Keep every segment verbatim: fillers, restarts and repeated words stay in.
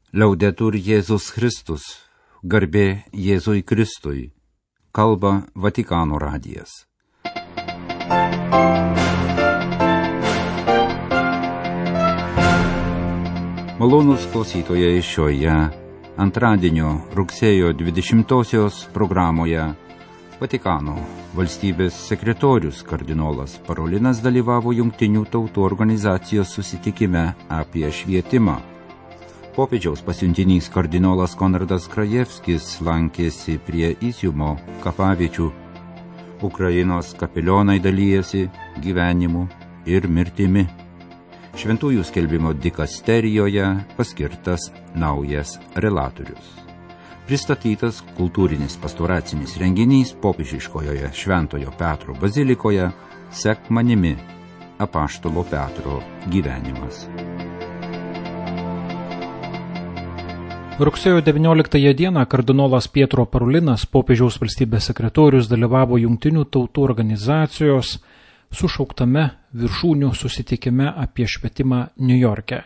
Liaudetur Jėzus Kristus, garbė Jėzui Kristui, kalba Vatikano radijas. Malonūs klausytojai, šioje antradienio rugsėjo dvidešimtosios programoje Vatikano valstybės sekretorius kardinolas Parolinas dalyvavo Jungtinių tautų organizacijos susitikime apie švietimą. Popiežiaus pasiuntinys kardinolas Konradas Krajevskis lankėsi prie Iziumo kapaviečių. Ukrainos kapelionai dalyjasi gyvenimu ir mirtimi. Šventųjų skelbimo dikasterijoje paskirtas naujas relatorius. Pristatytas kultūrinis pastoracinis renginys popiežiškojoje Šventojo Petro bazilikoje Sek manimi apaštalo Petro gyvenimas. Rugsėjo devynioliktąją dieną kardinolas Pietro Parolinas, popiežiaus valstybės sekretorius, dalyvavo Jungtinių tautų organizacijos sušauktame viršūnių susitikime apie švietimą Niujorke.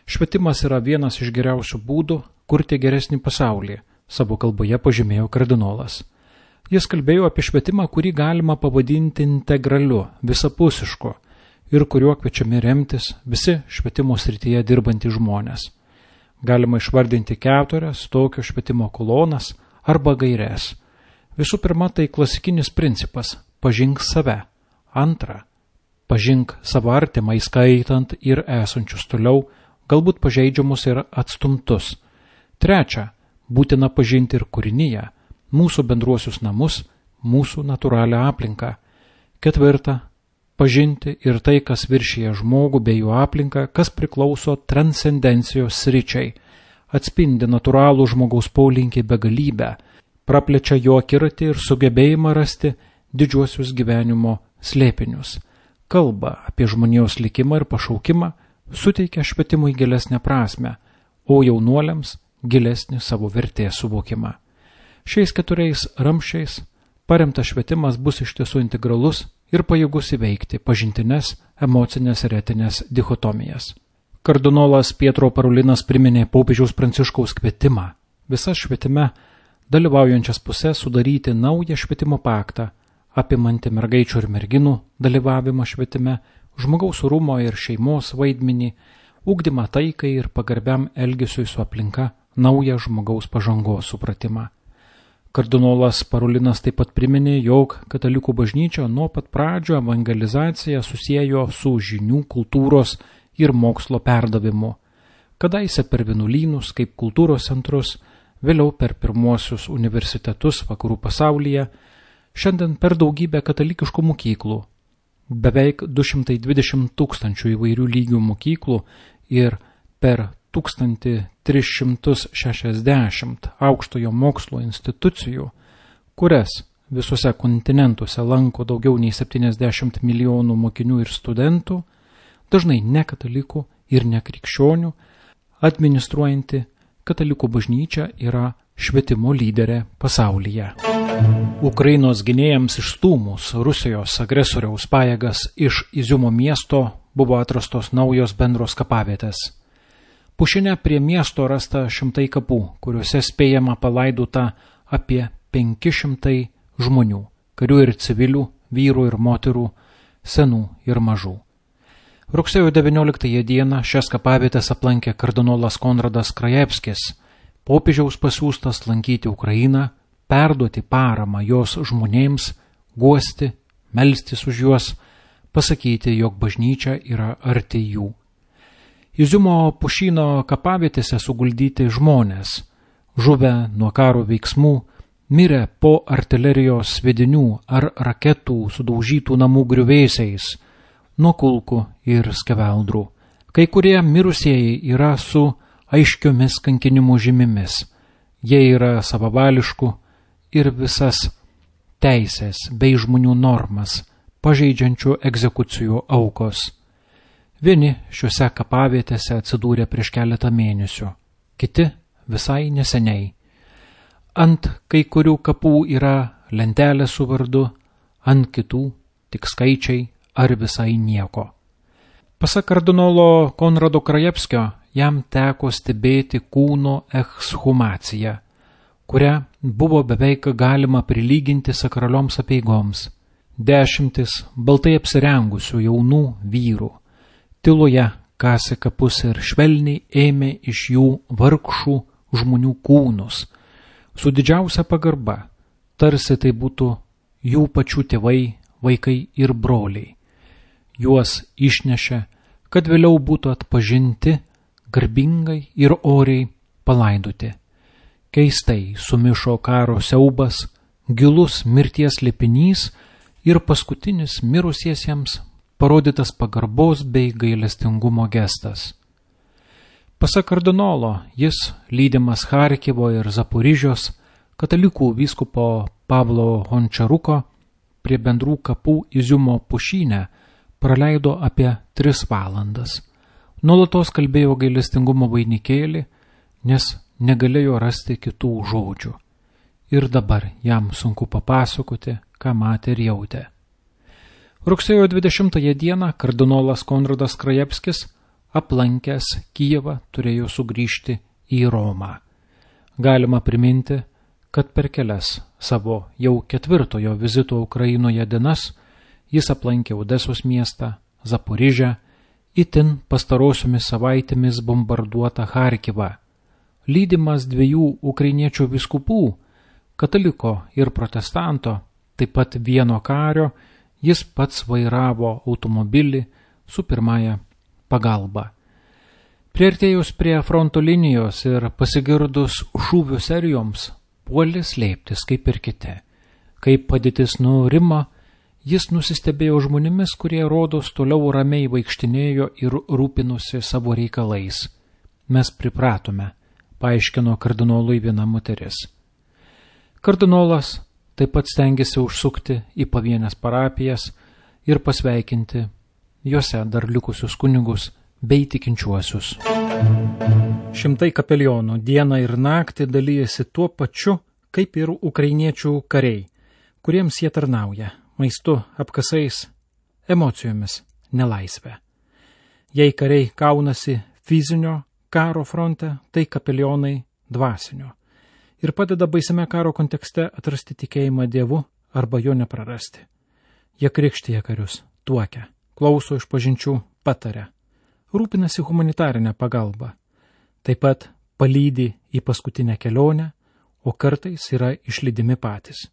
Švietimas yra vienas iš geriausių būdų kurti geresnį pasaulį, savo kalboje pažymėjo kardinolas. Jis kalbėjo apie švietimą, kurį galima pavadinti integraliu, visapusišku ir kuriuo kviečiami remtis visi švietimo srityje dirbantys žmonės. Galima išvardinti keturias tokio švietimo kolonas arba gaires. Visų pirma, tai klasikinis principas – pažink save. Antra, pažink savo artimą, įskaitant ir esančius toliau, galbūt pažeidžiamus ir atstumtus. Trečia, būtina pažinti ir kūrinyje, mūsų bendruosius namus, mūsų natūralią aplinką. Ketvirta, pažinti ir tai, kas viršyje žmogų bei jų aplinką, kas priklauso transcendencijos sričiai, atspindi natūralų žmogaus polinkį begalybę, praplečia jo akiratį ir sugebėjimą rasti didžiuosius gyvenimo slėpinius. Kalba apie žmonijos likimą ir pašaukimą suteikia švietimui gilesnę prasmę, o jaunuoliams gilesnį savo vertės suvokimą. Šiais keturiais ramsčiais paremtas švietimas bus iš tiesų integralus ir pajėgus įveikti pažintines, emocinės ir etinės dichotomijas. Kardinolas Pietro Parolinas priminė popiežiaus Pranciškaus kvietimą visas švietime dalyvaujančias pusės sudaryti naują švietimo paktą, apimantį mergaičių ir merginų dalyvavimą švietime, žmogaus orumo ir šeimos vaidmenį, ugdymą taikai ir pagarbiam elgesiui su aplinka, naują žmogaus pažangos supratimą. Kardinolas Parolinas taip pat priminė, jog katalikų bažnyčia nuo pat pradžio evangelizaciją susiejo su žinių, kultūros ir mokslo perdavimu. Kadaise per vienuolynus kaip kultūros centrus, vėliau per pirmuosius universitetus vakarų pasaulyje, šiandien per daugybę katalikiškų mokyklų, beveik du šimtai dvidešimt tūkstančių įvairių lygių mokyklų ir per tūkstantį tris šimtus šešiasdešimt aukštojo mokslo institucijų, kurias visuose kontinentuose lanko daugiau nei septyniasdešimt milijonų mokinių ir studentų, dažnai ne katalikų ir ne krikščionių, administruojanti katalikų bažnyčia yra švietimo lyderė pasaulyje. Ukrainos gynėjams išstūmus Rusijos agresoriaus pajėgas iš Iziumo miesto buvo atrastos naujos bendros kapavietės. Pušine prie miesto rasta šimtai kapų, kuriuose spėjama palaidota apie penki šimtai žmonių, karių ir civilių, vyrų ir moterų, senų ir mažų. Rugsėjo devynioliktąją dieną šias kapavietės aplankė kardinolas Konradas Krajevskis, popiežiaus pasiųstas lankyti Ukrainą, perduoti paramą jos žmonėms, guosti, melstis už juos, pasakyti, jog bažnyčia yra arti jų. Iziumo pušyno kapavietėse suguldyti žmonės, žuvę nuo karo veiksmų, mirę po artilerijos sviedinių ar raketų sudaužytų namų griuvėsiais, nuo kulkų ir skeveldrų. Kai kurie mirusieji yra su aiškiomis kankinimų žymimis. Jie yra savavališkų ir visas teisės bei žmonių normas pažeidžiančių egzekucijų aukos. Vieni šiuose kapavietėse atsidūrė prieš keletą mėnesių, kiti visai neseniai. Ant kai kurių kapų yra lentelė su vardu, ant kitų tik skaičiai ar visai nieko. Pasak kardinolo Konrado Krajevskio, jam teko stebėti kūno ekshumaciją, kurią buvo beveik galima prilyginti sakralioms apeigoms. Dešimtis baltai apsirengusių jaunų vyrų tyloje kasė kapus ir švelniai ėmė iš jų vargšų žmonių kūnus, su didžiausia pagarba, tarsi tai būtų jų pačių tėvai, vaikai ir broliai. Juos išnešė, kad vėliau būtų atpažinti, garbingai ir oriai palaidoti. Keistai sumišo karo siaubas, gilus mirties slėpinys ir paskutinis mirusiesiems parodytas pagarbos bei gailestingumo gestas. Pasak kardinolo, jis, lydimas Charkivo ir Zaporižios katalikų vyskupo Pavlo Hončaruko, prie bendrų kapų Iziumo pušyne praleido apie tris valandas. Nuolatos kalbėjo gailestingumo vainikėlį, nes negalėjo rasti kitų žodžių. Ir dabar jam sunku papasakoti, ką matė ir jautė. Rugsėjo dvidešimtąją dieną kardinolas Konradas Krajevskis, aplankęs Kijevą, turėjo sugrįžti į Romą. Galima priminti, kad per kelias savo jau ketvirtojo vizito Ukrainoje dienas jis aplankė Odesos miestą, Zaporižę, itin pastarosiomis savaitėmis bombarduotą Charkivą. Lydimas dviejų ukrainiečių vyskupų, kataliko ir protestanto, taip pat vieno kario, jis pats vairavo automobilį su pirmąja pagalba. Priartėjus prie fronto linijos ir pasigirdus šūvių serijoms, puolė slėptis kaip ir kiti. Kaip padėtis nurimo, jis nusistebėjo žmonėmis, kurie rodos toliau ramiai vaikštinėjo ir rūpinosi savo reikalais. Mes pripratome, paaiškino kardinolui viena moteris. Kardinolas taip pat stengiasi užsukti į pavienes parapijas ir pasveikinti juose dar likusius kunigus bei tikinčiuosius. Šimtai kapelionų dieną ir naktį dalyjasi tuo pačiu, kaip ir ukrainiečių kariai, kuriems jie tarnauja maistu, apkasais, emocijomis, nelaisvę. Jei kariai kaunasi fizinio karo fronte, tai kapelionai dvasinio ir padeda baisiame karo kontekste atrasti tikėjimą Dievu arba jo neprarasti. Jie krikštija karius, tuokia, klauso išpažinčių, pataria, rūpinasi humanitarinę pagalbą, taip pat palydi į paskutinę kelionę, o kartais yra išlydimi patys.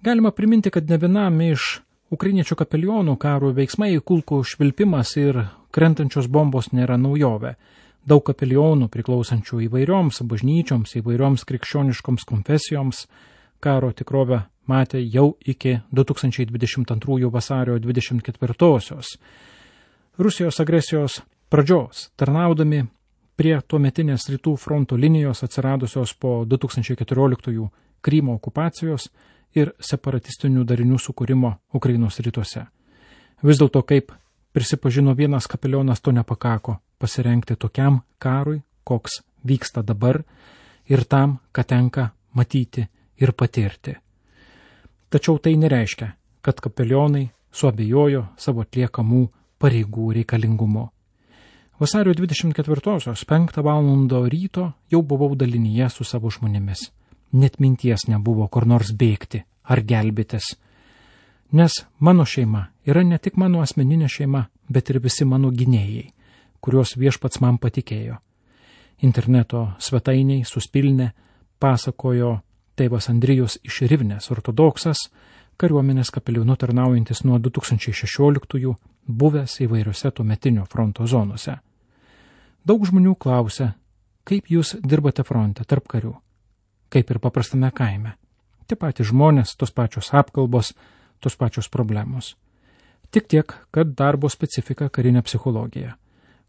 Galima priminti, kad ne vienam iš ukrainiečių kapelionų karo veiksmai, kulkų švilpimas ir krentančios bombos nėra naujovė. Daug kapelionų priklausančių įvairioms bažnyčioms, įvairioms krikščioniškoms konfesijoms karo tikrovę matė jau iki du tūkstančiai dvidešimt antrųjų vasario dvidešimt ketvirtosios Rusijos agresijos pradžios, tarnaudami prie tuometinės rytų fronto linijos atsiradusios po du tūkstančiai keturioliktųjų Krymo okupacijos ir separatistinių darinių sukūrimo Ukrainos rytuose. Vis dėlto, kaip prisipažino vienas kapelionas, to nepakako pasirengti tokiam karui, koks vyksta dabar, ir tam, ką tenka matyti ir patirti. Tačiau tai nereiškia, kad kapelionai suabejojo savo atliekamų pareigų reikalingumo. Vasario dvidešimt ketvirtosios penktą valandą ryto jau buvau dalinyje su savo žmonėmis. Net minties nebuvo kur nors bėgti ar gelbėtis. Nes mano šeima yra ne tik mano asmeninė šeima, bet ir visi mano gynėjai, kuriuos viešpats man patikėjo. Interneto svetainiai suspilnė pasakojo tėvas Andrijus iš Rivnės, ortodoksas, kariuomenės kapelionu tarnaujantis nuo du tūkstančiai šešioliktųjų, buvęs įvairiose tuometinio fronto zonose. Daug žmonių klausia, kaip jūs dirbate fronte tarp karių, kaip ir paprastame kaime. Tie patys žmonės, tos pačios apkalbos, tos pačios problemos. Tik tiek, kad darbo specifika karinė psichologija.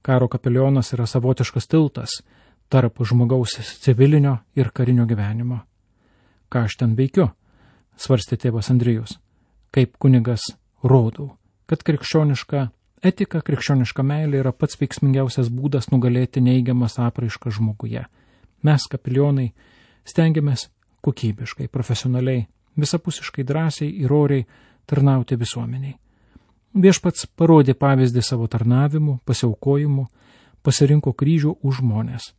Karo kapelionas yra savotiškas tiltas tarp žmogaus civilinio ir karinio gyvenimo. Ką aš ten veikiu, svarstė tėvas Andrijus. Kaip kunigas rodau, kad krikščioniška etika, krikščioniška meilė yra pats veiksmingiausias būdas nugalėti neigiamas apraiškas žmoguje. Mes, kapelionai, stengiamės kokybiškai, profesionaliai, visapusiškai drąsiai ir oriai tarnauti visuomeniai. Viešpats parodė pavyzdį savo tarnavimu, pasiaukojimu, pasirinko kryžių už žmonės,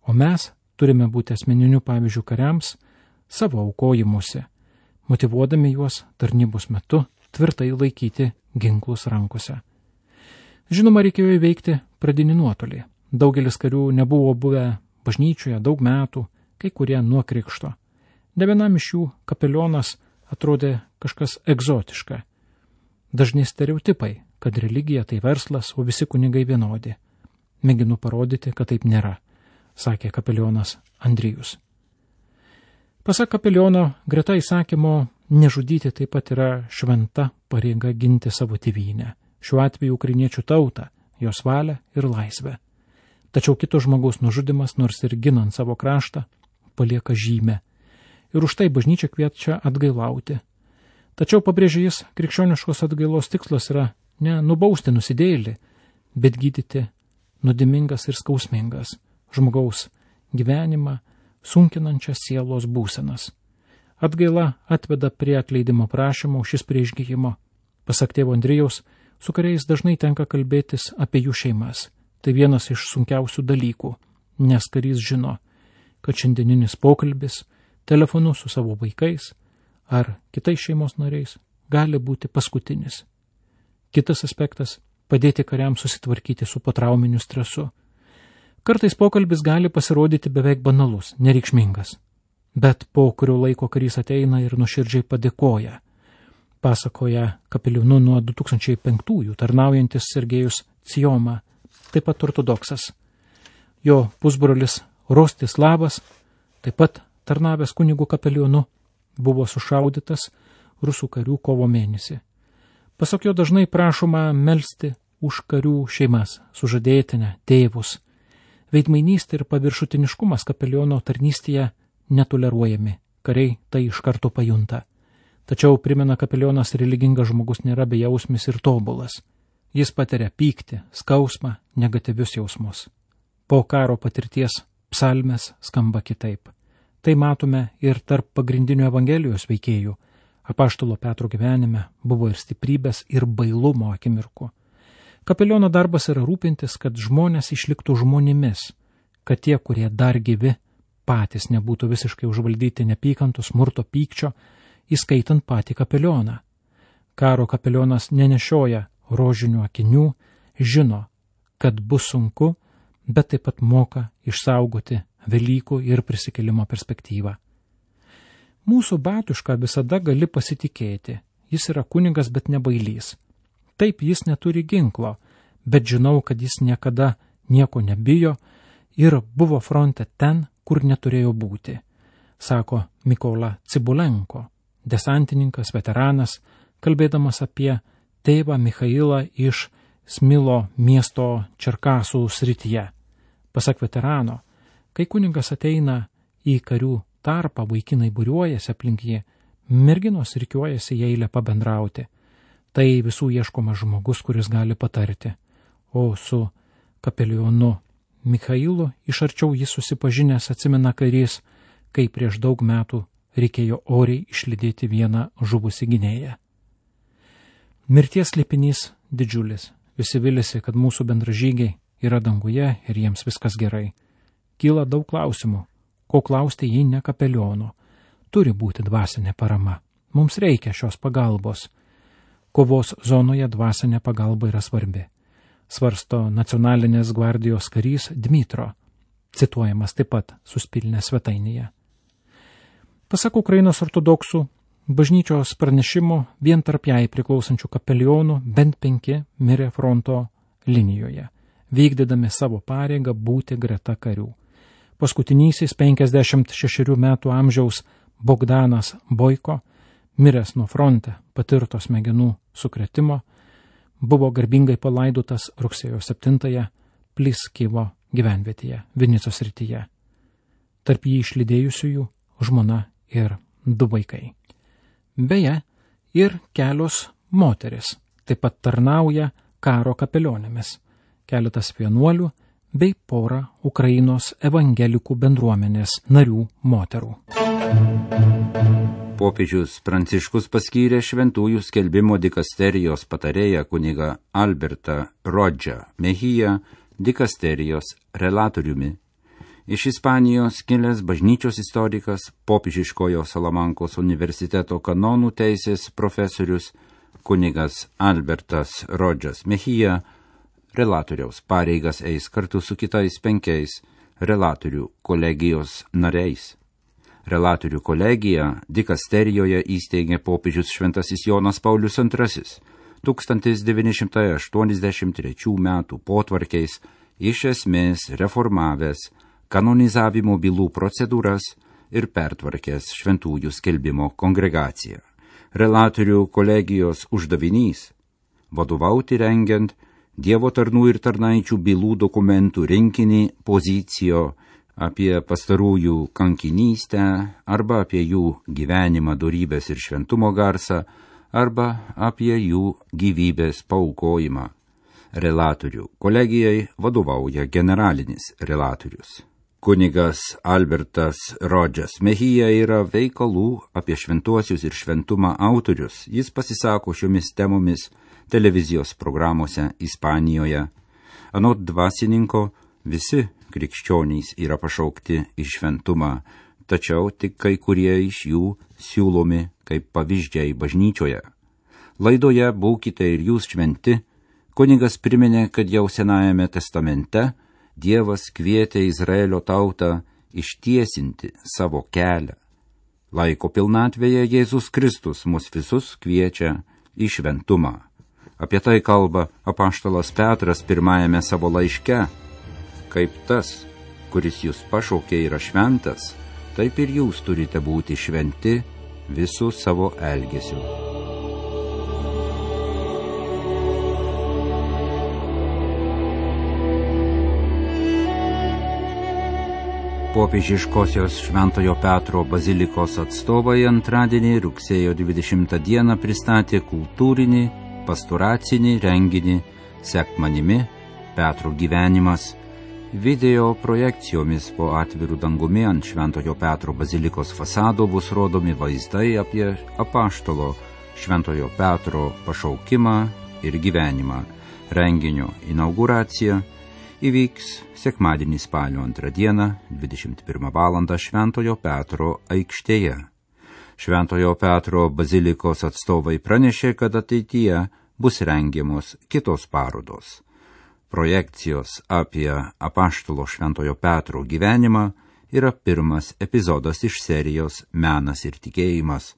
o mes turime būti asmeniniu pavyzdžiu kariams savo aukojimuose, motyvuodami juos tarnybos metu tvirtai laikyti ginklus rankose. Žinoma, reikėjo įveikti pradinį nuotolį. Daugelis karių nebuvo buvę bažnyčioje daug metų, kai kurie nuo krikšto. Ne vienam iš jų kapelionas atrodė kažkas egzotiška. Dažni stereotipai, kad religija tai verslas, o visi kunigai vienodi. Mėginu parodyti, kad taip nėra, sakė kapelionas Andrijus. Pasak kapeliono, greta įsakymo nežudyti taip pat yra šventa pareiga ginti savo tėvynę, šiuo atveju ukrainiečių tautą, jos valią ir laisvę. Tačiau kito žmogaus nužudimas, nors ir ginant savo kraštą, palieka žymę. Ir už tai bažnyčia kviečia atgailauti. Tačiau, pabrėžė jis, krikščioniškos atgailos tikslas yra ne nubausti nusidėjėlį, bet gydyti nuodėmingas ir skausmingas žmogaus gyvenimą sunkinančias sielos būsenas. Atgaila atveda prie atleidimo prašymo, šis prie išgyjimo. Pasak tėvo Andrijaus, su kuriais dažnai tenka kalbėtis apie jų šeimas. Tai vienas iš sunkiausių dalykų, nes karys žino, kad šiandieninis pokalbis telefonu su savo vaikais ar kitais šeimos nariais gali būti paskutinis. Kitas aspektas – padėti kariams susitvarkyti su potrauminiu stresu. Kartais pokalbis gali pasirodyti beveik banalus, nereikšmingas, bet po kurio laiko karys ateina ir nuoširdžiai padėkoja. Pasakoja kapelionu nuo du tūkstančiai penktųjų tarnaujantis Sergejus Cijoma, taip pat ortodoksas. Jo pusbrolis Rostislavas, taip pat tarnavęs kunigų kapelionu, buvo sušaudytas rusų karių kovo mėnesį. Pasak jo dažnai prašoma melsti už karių šeimas, sužadėtinę, tėvus. Veidmainystė ir paviršutiniškumas kapeliono tarnystėje netoleruojami, kariai tai iš karto pajunta. Tačiau, primena kapelionas, religingas žmogus nėra bejausmis ir tobulas. Jis patiria pyktį, skausmą, negatyvius jausmus. Po karo patirties psalmės skamba kitaip. Tai matome ir tarp pagrindinių Evangelijos veikėjų. Apaštalo Petro gyvenime buvo ir stiprybės, ir bailumo akimirkų. Kapeliono darbas yra rūpintis, kad žmonės išliktų žmonėmis, kad tie, kurie dar gyvi, patys nebūtų visiškai užvaldyti nepykantų, smurto, pykčio, įskaitant patį kapelioną. Karo kapelionas nenešioja rožinių akinių, žino, kad bus sunku, bet taip pat moka išsaugoti Velykų ir prisikėlimo perspektyvą. Mūsų batušką visada gali pasitikėti. Jis yra kunigas, bet ne bailys. Taip, jis neturi ginklo, bet žinau, kad jis niekada nieko nebijo ir buvo fronte ten, kur neturėjo būti, sako Mykola Cibulenko, desantininkas, veteranas, kalbėdamas apie tėvą Michailą iš Smilo miesto Čerkasų srityje. Pasak veterano, kai kunigas ateina į karių tarpą, vaikinai būriuojasi aplink jį, merginos rikiuojasi į eilę pabendrauti. Tai visų ieškomas žmogus, kuris gali patarti. O su kapelionu Michailu iš arčiau jis susipažinęs, atsimena karys, kai prieš daug metų reikėjo oriai išlydėti vieną žuvusį gynėją. Mirties slėpinys didžiulis. Visi vilisi, kad mūsų bendražygiai yra danguje ir jiems viskas gerai. Kyla daug klausimų. Ko klausti, jei ne kapeliono? Turi būti dvasinė parama. Mums reikia šios pagalbos. Kovos zonoje dvasinė pagalba yra svarbi. Svarsto nacionalinės gvardijos karys Dmitro, cituojamas taip pat Suspilnė svetainėje. Pasak Ukrainos ortodoksų, bažnyčios pranešimo vien tarp jai priklausančių kapelionų bent penki mirė fronto linijoje, vykdydami savo pareigą būti greta karių. Paskutinysis penkiasdešimt šešerių metų amžiaus Bogdanas Boiko, miręs nuo fronte patirto smegenų sukrėtimo, buvo garbingai palaidotas rugsėjo septintąją Pliskivo gyvenvietėje, Vinicos srityje. Tarp jį išlydėjusiųjų žmona ir du vaikai. Beje, ir kelios moteris taip pat tarnauja karo kapelionėmis, keletas vienuolių bei pora Ukrainos evangelikų bendruomenės narių moterų. Popiežius Pranciškus paskyrė šventųjų skelbimo dikasterijos patarėją kunigą Albertą Rodžą Mehiją dikasterijos relatoriumi. Iš Ispanijos kilęs bažnyčios istorikas, popiežiškojo Salamankos universiteto kanonų teisės profesorius, kunigas Albertas Rodžas Mejia, relatoriaus pareigas eis kartu su kitais penkiais relatorių kolegijos nariais. Relatorių kolegiją dikasterijoje įsteigė popiežius šventasis Jonas Paulius antrasis, tūkstantis devyni šimtai aštuoniasdešimt trečių metų potvarkiais iš esmės reformavęs kanonizavimo bylų procedūras ir pertvarkęs šventųjų skelbimo kongregaciją. Relatorių kolegijos uždavinys – vadovauti rengiant Dievo tarnų ir tarnaičių bylų dokumentų rinkinį pozicijo apie pastarųjų kankinystę arba apie jų gyvenimą, dorybės ir šventumo garsą arba apie jų gyvybės paaukojimą. Relatorių kolegijai vadovauja generalinis relatorius. Kunigas Albertas Rodžas Mejia yra veikalų apie šventuosius ir šventumą autorius. Jis pasisako šiomis temomis televizijos programuose Ispanijoje. Anot dvasininko, visi krikščionys yra pašaukti į šventumą, tačiau tik kai kurie iš jų siūlomi kaip pavyzdžiai bažnyčioje. Laidoje Būkite ir jūs šventi, kunigas priminė, kad jau Senajame testamente Dievas kvietė Izraelio tautą ištiesinti savo kelią. Laiko pilnatvėje Jėzus Kristus mus visus kviečia į šventumą. Apie tai kalba apaštalas Petras pirmajame savo laiške. Kaip tas, kuris jūs pašaukė, yra šventas, taip ir jūs turite būti šventi visų savo elgesiu. Popiežiškosios Šventojo Petro bazilikos atstovai antradienį rugsėjo dvidešimtą dieną pristatė kultūrinį, pastoracinį renginį Sek manimi Petro gyvenimas. Video projekcijomis po atvirų dangumi ant Šventojo Petro bazilikos fasado bus rodomi vaizdai apie apaštalo Šventojo Petro pašaukimą ir gyvenimą. Renginio inauguracija įvyks sekmadienį spalio antrą dieną, dvidešimt pirmą valandą Šventojo Petro aikštėje. Šventojo Petro bazilikos atstovai pranešė, kad ateityje bus rengiamos kitos parodos. Projekcijos apie apaštalo Šventojo Petro gyvenimą yra pirmas epizodas iš serijos Menas ir tikėjimas.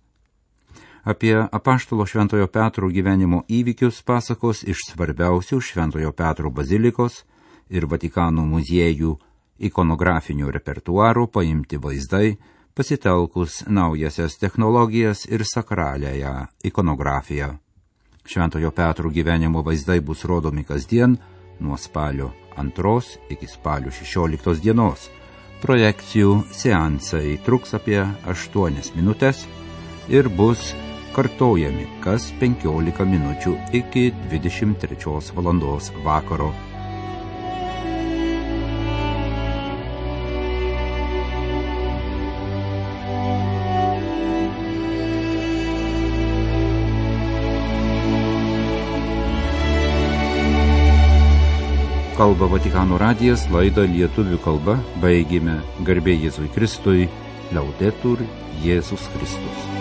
Apie apaštalo Šventojo Petro gyvenimo įvykius pasakos iš svarbiausių Šventojo Petro bazilikos ir Vatikano muziejų ikonografinio repertuaro paimti vaizdai, pasitelkus naujasias technologijas ir sakraliąją ikonografiją. Šventojo Petro gyvenimo vaizdai bus rodomi kasdien nuo spalio antros iki spalio šešioliktos dienos. Projekcijų seansai truks apie aštuonias minutės ir bus kartojami kas penkiolika minučių iki dvidešimt trečios valandos vakaro. Kalba Vatikano radijas, laidą lietuvių kalba baigėme. Garbė Jėzui Kristui, Laudetur Jėzus Kristus.